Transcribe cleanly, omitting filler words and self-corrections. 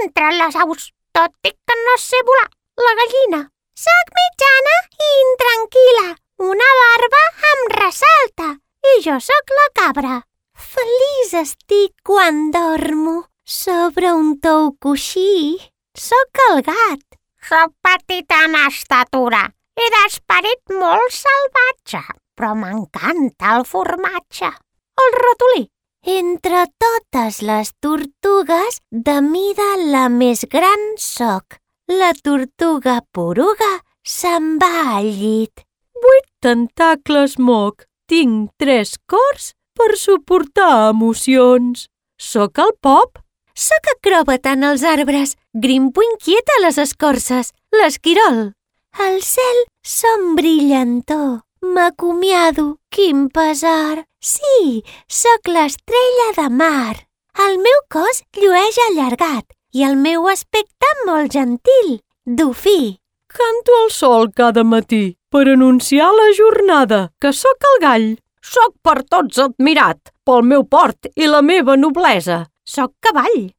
entre les aus, tot i que no sé volar, la gallina. Soc mitjana i intranquil·la, una barba em ressalta, i jo sóc la cabra. Feliç estic quan dormo sobre un tou coixí. Sóc el gat. Soc petita en estatura i d'esperit molt salvatge, però m'encanta el formatge. El ratolí. Entre totes les tortugues, de mida la més gran soc. La tortuga poruga se'n va al llit. 8 tentacles moc. Tinc 3 cors per suportar emocions. Sóc el Pop. Sóc acròbat en els arbres, grimpo inquiet a les escorces, l'esquirol. Al cel som brillantor, m'acomiado, quin pesar. Sí, sóc l'estrella de mar. El meu cos llueix allargat i el meu aspecte molt gentil, dofí. Canto al sol cada matí per anunciar la jornada, que sóc el gall. Sóc per tots admirat pel meu port i la meva noblesa. Sóc cavall.